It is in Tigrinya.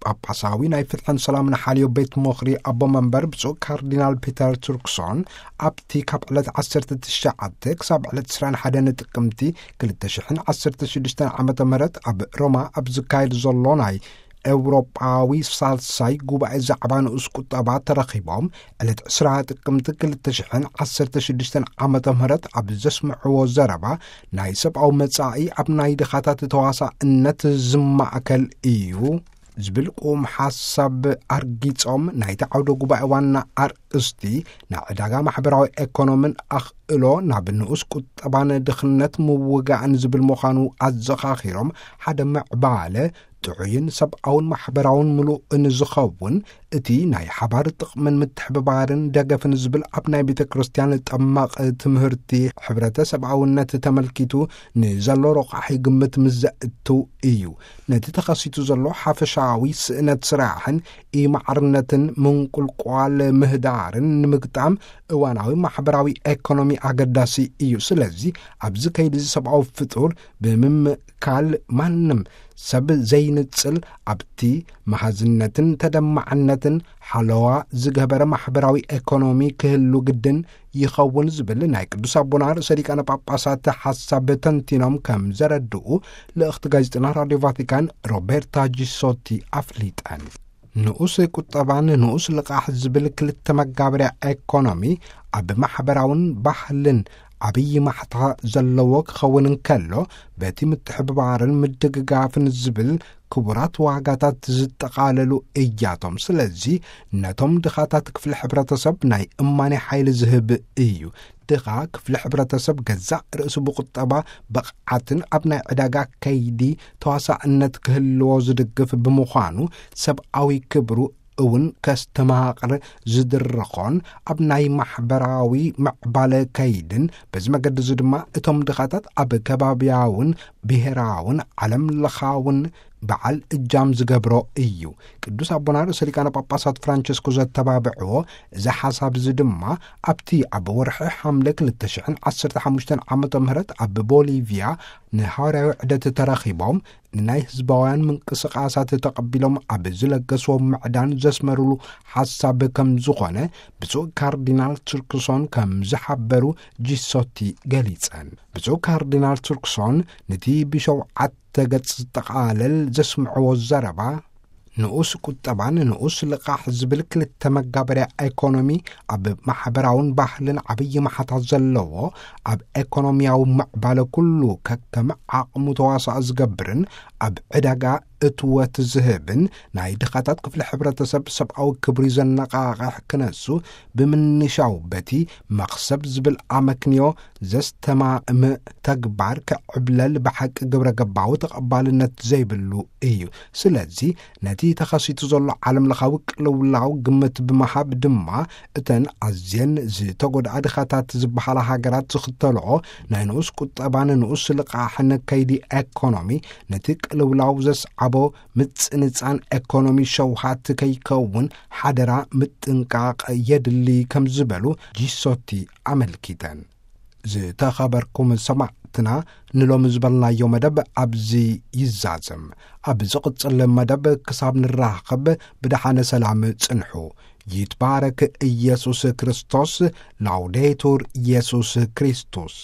ጳጳሳዊ ናይ ፍትሕን ሰላምን ሓልዮ ቤት ምኽሪ ኣቦ መንበር ብፁዕ ካርዲናል ፒተር ቱርክሶን፣ ኣብቲ ካብ ዕለት ዓሰርተ ትሽዓተ ክሳብ ዕለት ዕስራን ሓደን ጥቅምቲ ክልተ ሽሕን ዓሰርተ ሽዱሽተን ዓመተ ምህረት ኣብ ሮማ ኣብ ዝካየድ ዘሎ ናይ ኤውሮጳዊ ሳልሳይ ጉባኤ ዛዕባ ንኡስ ቁጠባ ተረኺቦም፣ ዕለት ዕስራ ጥቅምቲ ክልተ ሽሕን ዓሰርተ ሽዱሽተን ዓመተ ምህረት ኣብ ዘስምዕዎ ዘረባ፣ ናይ ሰብኣዊ መጻኢ ኣብ ናይ ድኻታት ተዋሳእነት ዝማእከል እዩ ዝብል ቁም ሓሳብ ኣርጊጾም፣ ናይቲ ዓውደ ጉባኤ ዋና ኣርእስቲ ናይ ዕዳጋ ማሕበራዊ ኤኮኖምን ኣኽእሎ ናብ ንኡስ ቁጠባን ድኽነት ምውጋእን ዝብል ምዃኑ ኣዘኻኺሮም፣ ሓደ ምዕባለ ጥዑይን ሰብኣውን ማሕበራውን ምሉእን ዝኸውን እቲ ናይ ሓባር ጥቕምን ምትሕብባርን ደገፍን ዝብል ኣብ ናይ ቤተ ክርስቲያን ጠማቕ ትምህርቲ ሕብረተ ሰብኣውነት ተመልኪቱ ንዘሎ ረቋሒ ግምት ምስ ዘእትው እዩ። ነቲ ተኸሲቱ ዘሎ ሓፈሻዊ ስእነት ስራሕን ኢማዕርነትን ምንቁልቋል ምህዳርን ንምግጣም እዋናዊ ማሕበራዊ ኤኮኖሚ ኣገዳሲ እዩ። ስለዚ ኣብዚ ከይዲ እዚ ሰብኣዊ ፍጡር ብምምካል ማንም ሰብ ዘይንጽል ኣብቲ መሃዝነትን ተደማዕነትን ሓለዋ ዝገበረ ማሕበራዊ ኤኮኖሚ ክህሉ ግድን ይኸውን ዝብል ናይ ቅዱስ ኣቦና ርእሰ ሊቃነ ጳጳሳት ሓሳብ ተንቲኖም ከም ዘረድኡ ልእኽቲ ጋዜጠና ራድዮ ቫቲካን ሮቤርታ ጂሶቲ ኣፍሊጠን። ንኡስ ቁጠባን ንኡስ ልቓሕ ዝብል ክልተ መጋበርያ ኤኮኖሚ ኣብ ማሕበራውን ባህልን ዓብዪ ማሕታ ዘለዎ ክኸውን እንከሎ፣ በቲ ምትሕብባርን ምድግጋፍን ዝብል ክቡራት ዋጋታት ዝጠቓለሉ እያቶም። ስለዚ ነቶም ድኻታት ክፍሊ ሕብረተሰብ ናይ እማኔ ሓይሊ ዝህብ እዩ። ድኻ ክፍሊ ሕብረተሰብ ገዛእ ርእሱ ብቁጠባ ብቕዓትን ኣብ ናይ ዕዳጋ ከይዲ ተዋሳእነት ክህልዎ ዝድግፍ ብምዃኑ፣ ሰብኣዊ ክብሩ እውን ከስተማቕር ዝድርኾን ኣብ ናይ ማሕበራዊ ምዕባለ ከይድን፣ በዚ መገዲ እዚ ድማ እቶም ድኻታት ኣብ ከባብያውን ብሔራውን ዓለም ለኻውን በዓል እጃም ዝገብሮ እዩ። ቅዱስ ኣቦና ርእሰ ሊቃነ ጳጳሳት ፍራንቸስኮ ዘተባብዕዎ እዚ ሓሳብ እዚ ድማ ኣብቲ ኣብ ወርሒ ሓምለ ክልተ ሽሕን ዓሰርተ ሓሙሽተን ዓመተ ምህረት ኣብ ቦሊቪያ ንሃዋርያዊ ዕደት ተረኺቦም ንናይ ህዝባውያን ምንቅስቃሳት ተቐቢሎም ኣብ ዝለገስዎ ምዕዳን ዘስመሩሉ ሓሳብ ከም ዝኾነ ብፁዕ ካርዲናል ቱርክሶን ከም ዝሓበሩ ጂሶቲ ገሊጸን። ብፁዕ ካርዲናል ቱርክሶን ነቲ ብሸውዓተ ገጽ ዝጠቓለል ዘስምዕዎ ዘረባ፣ ንኡስ ቁጠባን ንኡስ ልቓሕ ዝብል ክልተ መጋበርያ ኤኮኖሚ ኣብ ማሕበራውን ባህልን ዓብዪ መሓታ ዘለዎ፣ ኣብ ኤኮኖሚያዊ ምዕባለ ኩሉ ከከም ዓቕሙ ተዋሳእ ዝገብርን ኣብ ዕዳጋ እትወት ዝህብን ናይ ድኻታት ክፍሊ ሕብረተሰብ ሰብኣዊ ክብሪ ዘነቓቕሕ ክነሱ ብምንሻው በቲ መኽሰብ ዝብል ኣመክንዮ ዘስተማእም ተግባር ክዕብለል ብሓቂ ግብረ ገባዊ ተቐባልነት ዘይብሉ እዩ። ስለዚ ነቲ ተኸሲቱ ዘሎ ዓለም ለኻዊ ቅልውላው ግምት ብምሃብ ድማ እተን ኣዝየን ዝተጎድኣ ድኻታት ዝበሃላ ሃገራት ዝኽተልኦ ናይ ንኡስ ቁጠባን ንኡስ ልቓሕን ከይዲ ኤኮኖሚ ነቲ ቅልውላው ዘስዓቦ ምጽንጻን ኤኮኖሚ ሸውሃት ከይከውን ሓደራ ምጥንቃቕ የድሊ ከም ዝበሉ ጂሶቲ ኣመልኪተን። ዝተኸበርኩም ሰማዕትና፣ ንሎሚ ዝበልናዮ መደብ ኣብዚ ይዛዘም። ኣብ ዝቕጽል መደብ ክሳብ ንራኸብ ብደሓነ ሰላም ጽንሑ። ይትባረክ ኢየሱስ ክርስቶስ። ላውዴቱር ኢየሱስ ክርስቶስ።